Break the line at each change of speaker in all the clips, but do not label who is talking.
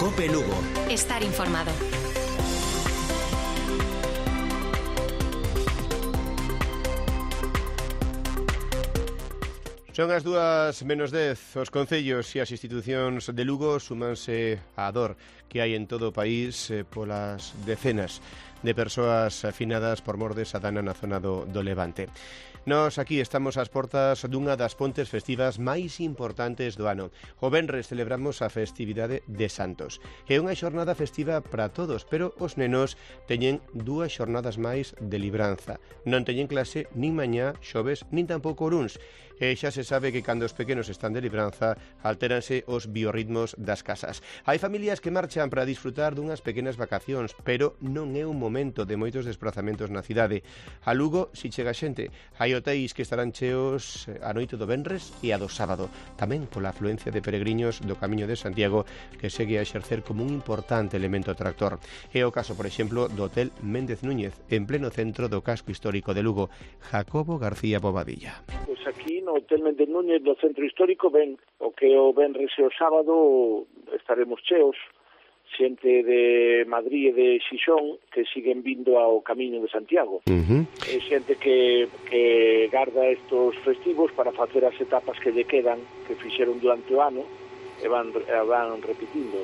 COPE Lugo.
Estar informado.
Son as 2:10. Os concellos e as institucións de Lugo súmanse á dor que hai en todo o país polas decenas de persoas afinadas por mor desa dana na zona do Levante. Nós aquí estamos ás portas dunha das pontes festivas máis importantes do ano. O venres celebramos a festividade de Santos. É unha xornada festiva para todos, pero os nenos teñen 2 xornadas máis de libranza. Non teñen clase nin mañá, xoves, nin tampouco luns. E xa se sabe que cando os pequenos están de libranza altéranse os biorritmos das casas. Hai familias que marchan para disfrutar dunhas pequenas vacacións, pero non é un momento de moitos desplazamentos na cidade. A Lugo, si chega xente, hai hotéis que estarán cheos a noite do venres e a do sábado, tamén pola afluencia de peregriños do Camiño de Santiago que segue a exercer como un importante elemento atractor. É o caso, por exemplo, do Hotel Méndez Núñez, en pleno centro do casco histórico de Lugo. Jacobo García Bobadilla.
Pois aquí no Hotel Méndez Núñez do centro histórico ven o que o venres e o sábado estaremos cheos, xente de Madrid e de Xixón que siguen vindo ao Camiño de Santiago. É xente que garda estos festivos para facer as etapas que lle quedan, que fixeron durante o ano e van repetindo.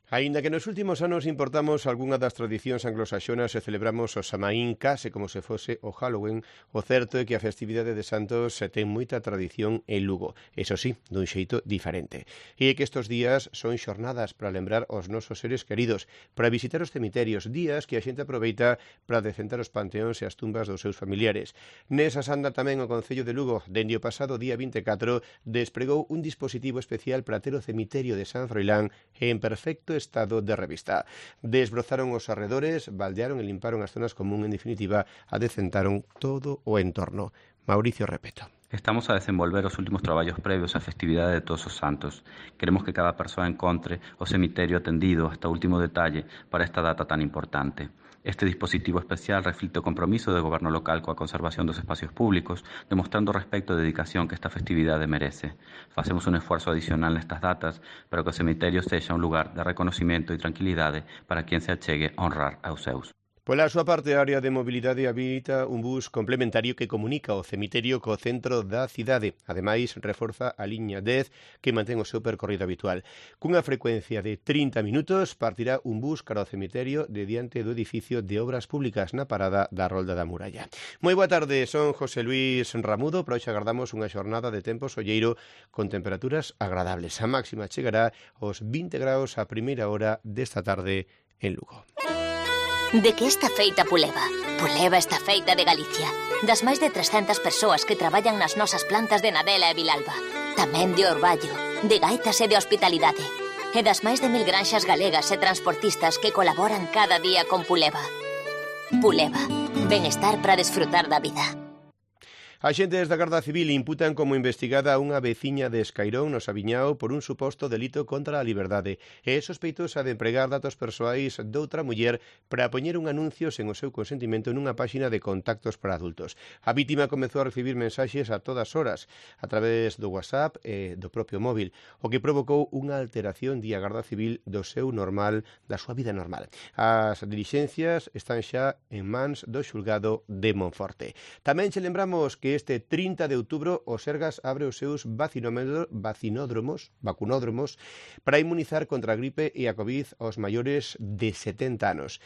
Aínda que nos últimos anos importamos algunha das tradicións anglosaxonas e celebramos o Samaín case como se fose o Halloween, o certo é que a festividade de Santos ten moita tradición en Lugo, eso sí, dun xeito diferente. E é que estes días son xornadas para lembrar os nosos seres queridos, para visitar os cemiterios, días que a xente aproveita para decentar os panteóns e as tumbas dos seus familiares. Nesas anda tamén o Concello de Lugo, dende o pasado día 24, despregou un dispositivo especial para ter o cemiterio de San Froilán en perfecto estado de revista. Desbrozaron os arredores, baldearon e limparon as zonas común, en definitiva, adecentaron todo o entorno. Mauricio Repeto.
Estamos a desenvolver os últimos traballos previos á festividade de Todos os Santos. Queremos que cada persoa encontre o cemiterio atendido hasta o último detalle para esta data tan importante. Este dispositivo especial reflicte o compromiso do goberno local coa conservación dos espacios públicos, demostrando o respecto e dedicación que esta festividade merece. Facemos un esforzo adicional nestas datas para que o cemiterio sexa un lugar de reconocimiento e tranquilidade para quen se achegue a honrar aos seus.
Pola súa parte, a área de mobilidade habilita un bus complementario que comunica o cemiterio co centro da cidade. Ademais, reforza a liña 10 que mantén o seu percorrido habitual. Cunha frecuencia de 30 minutos partirá un bus cara ao cemiterio de diante do edificio de Obras Públicas na parada da Rolda da Muralla. Moi boa tarde, son José Luis Ramudo. Para hoxe agardamos unha xornada de tempo solleiro con temperaturas agradables. A máxima chegará aos 20 graus a primeira hora desta tarde en Lugo.
De que está feita Puleva? Puleva está feita de Galicia. Das máis de 300 persoas que traballan nas nosas plantas de Nadela e Vilalba. Tamén de Orballo, de Gaitas e de Hospitalidade. E das máis de 1000 granxas galegas e transportistas que colaboran cada día con Puleva. Puleva, benestar para desfrutar da vida.
Axentes da Garda Civil imputan como investigada a unha veciña de Escairón, no Sabiñao, por un suposto delito contra a liberdade. É sospeitosa de empregar datos persoais doutra muller para poñer un anuncio sen o seu consentimento nunha páxina de contactos para adultos. A vítima comezou a recibir mensaxes a todas horas, a través do WhatsApp e do propio móvil, o que provocou unha alteración di a Garda Civil da súa vida normal. As dilixencias están xa en mans do xulgado de Monforte. Tamén che lembramos que este 30 de outubro o Sergas abre os seus vacunódromos para inmunizar contra a gripe e a COVID aos maiores de 70 anos.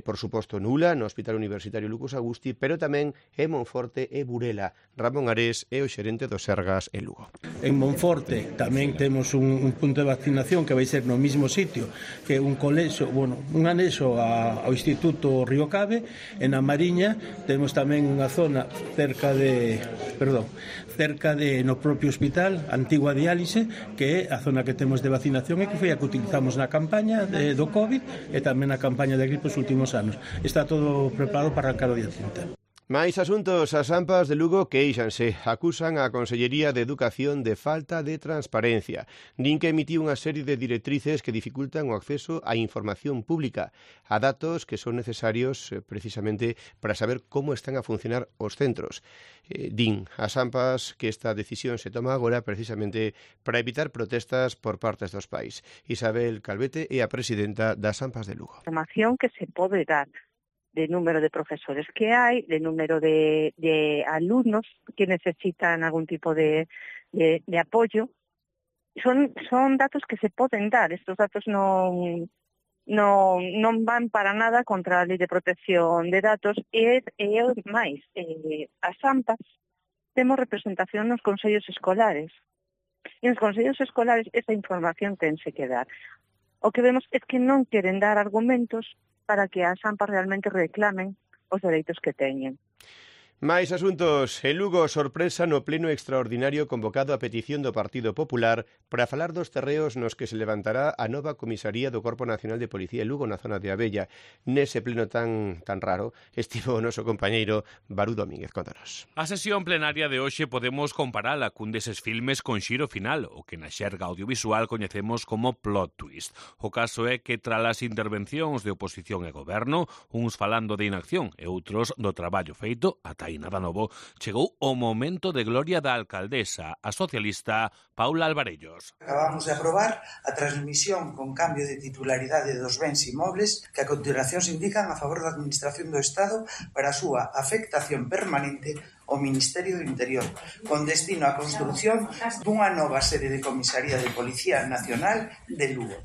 Por suposto, Nula, no Hospital Universitario Lucas Agusti, pero tamén en Monforte e Burela. Ramón Ares é o xerente do Sergas en Lugo.
En Monforte tamén temos un punto de vacinación que vai ser no mismo sitio, que un colexo, un anexo ao Instituto Río Cabe. En a Mariña temos tamén unha zona cerca no propio hospital, antigua diálise, que é a zona que temos de vacinación e que foi a que utilizamos na campaña do COVID e tamén na campaña de gripe os últimos anos. Está todo preparado para arrancar o día 30.
Máis asuntos. As AMPAs de Lugo queixanse, acusan a Consellería de Educación de falta de transparencia. Din que emitiu unha serie de directrices que dificultan o acceso á información pública, a datos que son necesarios precisamente para saber como están a funcionar os centros. Din as AMPAs que esta decisión se toma agora precisamente para evitar protestas por partes dos pais. Isabel Calvete é a presidenta das AMPAs de Lugo.
Información que se pode dar de número de profesores que hai, de número de alumnos que necesitan algún tipo de apoyo. Son datos que se poden dar. Estos datos non van para nada contra a Lei de Protección de Datos e máis. As AMPAs temos representación nos consellos escolares. E nos consellos escolares esa información tense que dar. O que vemos é que non queren dar argumentos para que as AMPAs realmente reclamen os dereitos que teñen.
Máis asuntos. En Lugo, sorpresa no pleno extraordinario convocado a petición do Partido Popular para falar dos terreos nos que se levantará a nova comisaría do Corpo Nacional de Policía en Lugo na zona de Abella. Nese pleno tan raro estivo o noso compañeiro Barú Domínguez. Contanos.
A sesión plenaria de hoxe podemos comparala cun deses filmes con xiro final, o que na xerga audiovisual coñecemos como plot twist. O caso é que tras as intervencións de oposición e goberno, uns falando de inacción e outros do traballo feito, ata nada novo, chegou o momento de gloria da alcaldesa, a socialista Paula Alvarellos.
Acabamos de aprobar a transmisión con cambio de titularidade dos bens inmobles que a continuación se indican a favor da Administración do Estado para a súa afectación permanente ao Ministerio do Interior, con destino á construción dunha nova sede de comisaría de Policía Nacional de Lugo.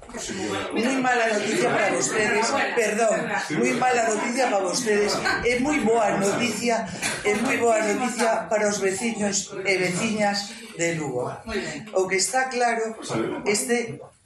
Moi mala noticia para vostedes, moi mala noticia para vostedes, e moi boa noticia para os veciños e veciñas de Lugo. O que está claro,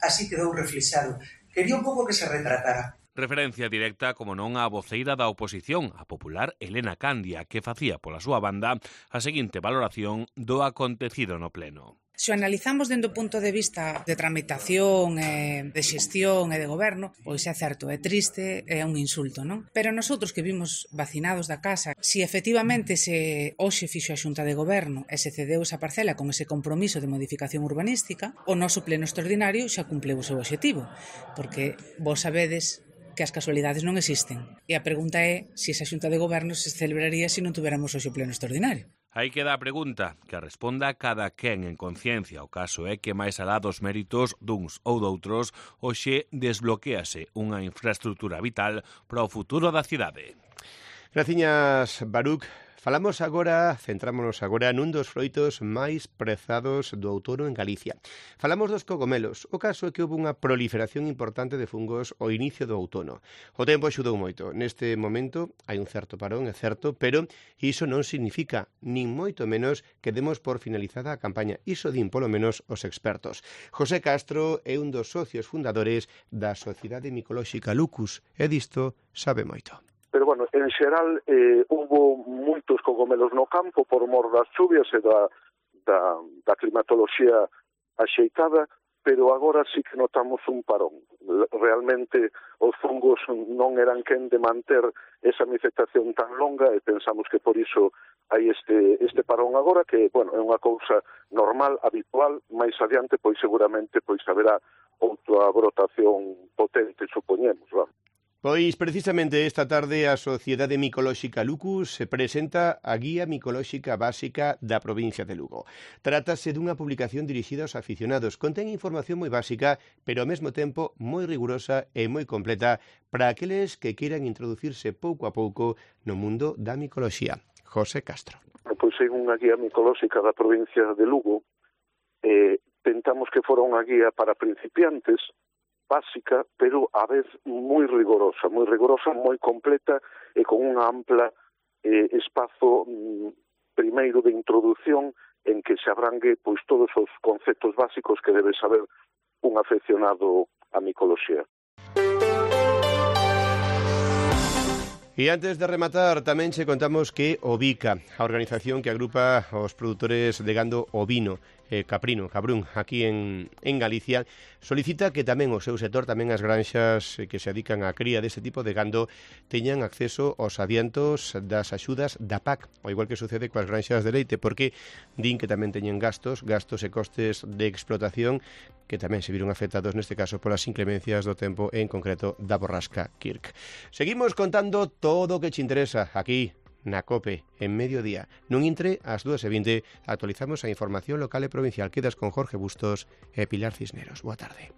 así quedou reflexado. Quería un pouco que se retratara.
Referencia directa, como non, á voceira da oposición, a popular Elena Candia, que facía pola súa banda a seguinte valoración do acontecido no pleno.
Se o analizamos dende o punto de vista de tramitación, de xestión e de goberno, pois é certo, é triste, é un insulto, non? Pero nosotros que vimos vacinados da casa, se efectivamente se hoxe fixo a Xunta de Goberno e se cedeu esa parcela con ese compromiso de modificación urbanística, o noso pleno extraordinario xa cumpleu o seu obxectivo, porque vos sabedes que as casualidades non existen. E a pregunta é se esa Xunta de Goberno se celebraría se non tuveramos hoxe o pleno extraordinario.
Aí queda a pregunta, que responda cada quen en conciencia. O caso é que máis alá dos méritos duns ou doutros, hoxe desbloquease unha infraestructura vital para o futuro da cidade.
Graciñas, Baruch. Centrámonos agora nun dos froitos máis prezados do outono en Galicia. Falamos dos cogomelos. O caso é que houve unha proliferación importante de fungos ao inicio do outono. O tempo axudou moito. Neste momento hai un certo parón, é certo, pero iso non significa, nin moito menos, que demos por finalizada a campaña. Iso din polo menos os expertos. José Castro é un dos socios fundadores da Sociedade Micolóxica Lucus e disto sabe moito.
Pero, bueno, en xeral, houve moitos cogomelos no campo por mor das chuvias e da climatoloxía axeitada, pero agora sí que notamos un parón. Realmente, os fungos non eran quen de manter esa infectación tan longa e pensamos que por iso hai este parón agora, que, bueno, é unha cousa normal, habitual, máis adiante, pois seguramente haberá outra brotación potente, supoñemos, vamos.
Pois precisamente esta tarde a Sociedade Micolóxica Lucus se presenta a Guía Micolóxica Básica da provincia de Lugo. Trátase dunha publicación dirixida aos aficionados. Contén información moi básica, pero ao mesmo tempo moi rigurosa e moi completa para aqueles que queiran introducirse pouco a pouco no mundo da micoloxía. José Castro.
Pois é unha guía micolóxica da provincia de Lugo. Tentamos que fora unha guía para principiantes, básica, pero a vez moi rigorosa, moi completa e con unha ampla espazo primeiro de introdución en que se abrangue pois todos os conceptos básicos que debe saber un afeccionado á micoloxía.
E antes de rematar, tamén che contamos que Ovica, a organización que agrupa os produtores de gando ovino, caprún, aquí en Galicia, solicita que tamén o seu sector, tamén as granxas que se dedican á cría deste tipo de gando, teñan acceso aos adiantos das axudas da PAC, ao igual que sucede coas granxas de leite, porque din que tamén teñen gastos e costes de explotación que tamén se viron afectados neste caso polas inclemencias do tempo, en concreto da borrasca Kirk. Seguimos contando todo o que te interesa aquí na COPE en mediodía. Non intre ás 2:20, actualizamos a información local e provincial. Quedas con Jorge Bustos e Pilar Cisneros. Boa tarde.